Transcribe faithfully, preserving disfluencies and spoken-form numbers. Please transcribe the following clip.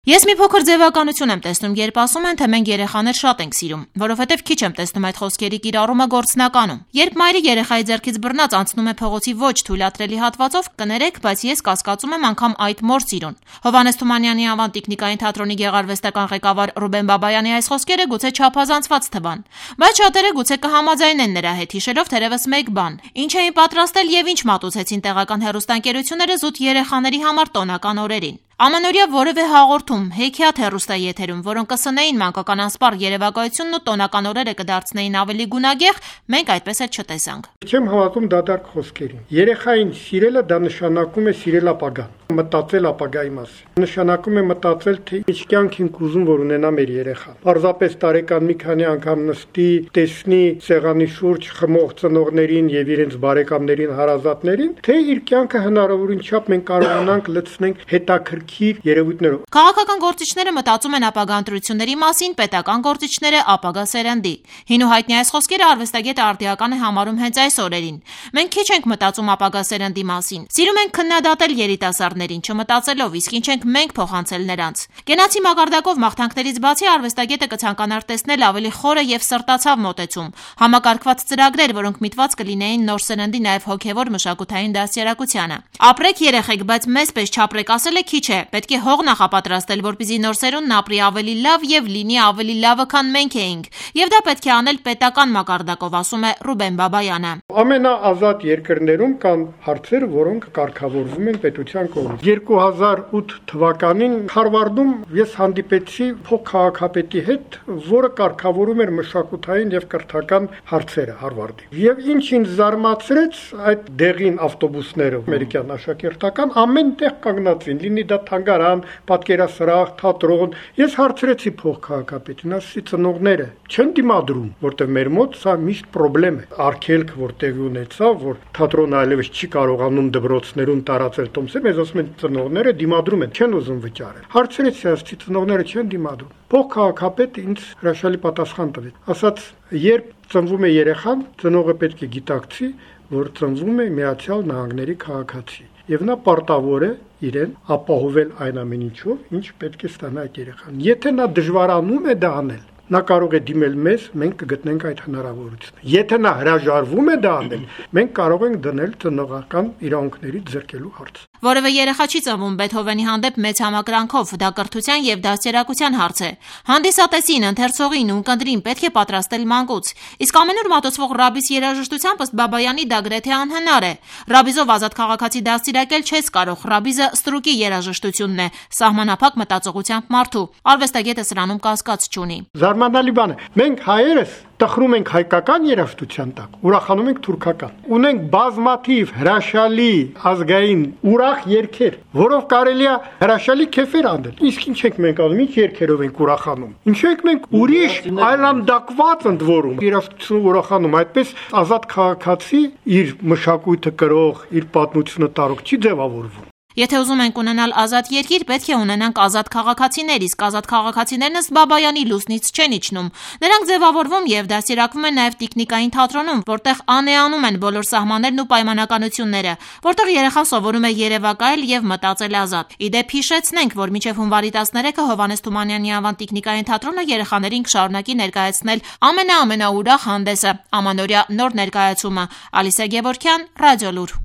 Ես մի փոքր ձևականություն եմ տեսնում, երբ ասում են, թե մենք երեխաներ շատ ենք սիրում, որովհետև քիչ եմ տեսնում այդ խոսքերի կիրառումը գործնականում։ Երբ մայրը երեխայի ձեռքից բռնած անցնում է փողոցի ոչ թույլատրելի հատվածով, կներեք, բայց ես կասկածում եմ անգամ այդ մոր սիրուն։ Հովհաննես Թումանյանի անվան տիկնիկային թատրոնի գեղարվեստական ղեկավար Ռուբեն Բաբայանի այս խոսքերը գուցե չափազանցված թվան, բայց շատերը գուցե կհամաձայնեն նրա հետ, հիշելով թերևս մեկ բան. ինչ էին պատրաստել եւ ինչ մատուցեցին տեղական հեռուստաընկերությունները զուտ երեխաների համար տոնական օրերին։ Ամանորյա որևէ հաղորդում, հեքիաթ հեռուստաեթերում, որոնք կսնեին մանկական անսպառ երևակայությունն ու տոնական օրերը կդարձնեին ավելի գունագեղ, մենք այդպես էլ չտեսանք։ Չեմ հավատում դատարկ խոսքերին։ Երեխային սիրելը դա նշանակում է սիրել ապագան, մտածել ապագայի մասին։ Նշանակում է մտածել, թե ինչ կյանք ենք ուզում, որ ունենա մեր երեխան։ Պարզապես տարեկան մի քանի անգամ նստի, տեսնի սեղանի շուրջ խմող ծնողներին եւ իրենց բարեկամներին, հարազատներին, թե իր կյանքը հնարավորին չափ մենք կարողանանք լցնենք հետաքրքիր երևույթներով։ Քաղաքական գործիչները մտածում են ապագա ընտրությունների մասին, պետական գործիչները ապագա սերնդի։ Հին ու հայտնի այս խոսքերը արվեստագետը արդիական է համարում հենց այս օրերին։ Մենք քիչ ենք մտածում ապագա սերնդի մասին։ Սիրում ենք քննադատել երիտասարդներին, չմտածելով, իսկ ինչ ենք մենք փոխանցել նրանց։ Գենացի մակարդակով մաղթանքներից բացի արվեստագետը կցանկանար տեսնել ավելի խորը եւ սրտացավ մոտեցում, համակարգված ծրագրեր, որոնք միտված կլինեին նոր սերնդի նաեւ հոգեվոր մշակութային դաստիարակությանը։ Ապրեք երեխեք, բայց մեզ պես չապրեք ասելը քիչ է, պետք է հող նախապատրաստել, որպեսզի նոր սերունդն ապրի ավելի լավ եւ լինի ավելի լավը, քան մենք էինք, եւ դա պետք է անել պետական մակարդակով, ասում է Ռուբեն Բաբայանը։ Ամենաազատ երկրներում կան հարցեր, որոնք կարգավորվում են պետության կողմից։ երկու հազար ութ թվականին Հարվարդում ես հանդիպեցի փոխքաղաքապետի հետ, որը կարգավորում էր մշակութային եւ կրթական հարցերը Հարվարդի։ Եվ ինչ ինձ զարմացրեց, այդ դեղին ավտոբուսները, ամերիկյան աշակերտական, ամեն տեղ կանգնածին, լինի դա թանգարան, պատկերասրահ, թատրոն։ Ես հարցրեցի փոխքաղաքապետին, ասեցի ծնողները չեն դիմադրում, որտեղ մեր մոտ սա միշտ խնդրեմ է։ Արգելք որտեղի ունեցավ, որ թատրոնը այլևս չի կարողանում դպրոցներում տարածել տոմսը, մեզ ասում են ծնողները դիմադրում են, չեն ուզում վճարել։ Հարցրեցի, ասեցի ծնողները չեն դիմադրում։ Փոխքաղաքապետը ինձ հրաշալի պատասխան տվեց։ Ասաց, երբ ծնվում է երեխան, ծնողը պետք է գիտակցի, որ ծնվում է Միացյալ Նահանգների քաղաքացի, եւ նա պարտավոր է իրեն ապահովել այն ամեն ինչով, ինչ պետք է ստանա այդ երեխան։ Եթե նա դժվարանում է դա անել, նա կարող է դիմել մեզ, մենք կգտնենք այդ հնարավորությունը։ Եթե նա հրաժարվում է դա անել, մենք կարող ենք դնել ծնողական իրավունքների ձեռքելու հարց։ Որևէ երեխա չի ծնվում Բեթհովենի հանդեպ մեծ համակրանքով, դա կրթության եւ դաստիարակության հարց է։ Հանդիսատեսին, ընթերցողին ու ունկնդրին պետք է պատրաստել մանկուց։ Իսկ ամենուր մատուցվող Ռաբիս երաժշտությամբ ըստ Բաբայանի դա գրեթե անհնար է։ Ռաբիզով ազատ քաղաքացի դաստիարակել չես կարող, Ռաբիզը ստրուկի երաժշտությունն է, սահմանափակ մտածողությամբ մարդու։ Արվեստագետը սրանում կասկած չունի։ Զարմանալի բան է։ Մենք հայերս տխրում ենք հայկական երաժշտության տակ, ուրախանում ենք թուրքական։ Ունենք բազմաթիվ հրաշալի ազգային ուրախ երգեր, որով կարելի է հրաշալի քեֆեր անել։ Իսկ ինչ ենք մենք անում, ինչ երգերով ենք ուրախանում։ Ինչու ենք մենք ուրիշ այլանդակված ընդ որում երաժշտություն ուրախանում, այդպես ազատ քաղաքացի իր մշակույթը կրող, իր պատմությունը տարող չի ձևավորվում։ Եթե ուզում ենք ունենալ ազատ երկիր, պետք է ունենանք ազատ քաղաքացիներ, իսկ ազատ քաղաքացիներն ըստ Բաբայանի լուսնից չեն իջնում։ Նրանք ձևավորվում եւ դաստիարակվում են նաեւ տիկնիկային թատրոնում, որտեղ անեանում են բոլոր սահմաններն ու պայմանականությունները, որտեղ երեխան սովորում է երևակայել եւ մտածել ազատ։ Իդեպ հիշեցնենք, որ մինչեւ հունվարի տասներեքը Հովհաննես Թումանյանի անվան տիկնիկային թատրոնը երեխաներին կշարունակի ներկայացնել ամենաամենաուրախ հանդեսը՝ Ամանորյա նոր ներկայացումը։ Ալիսա Գևորգյան, Ռադիոլուր։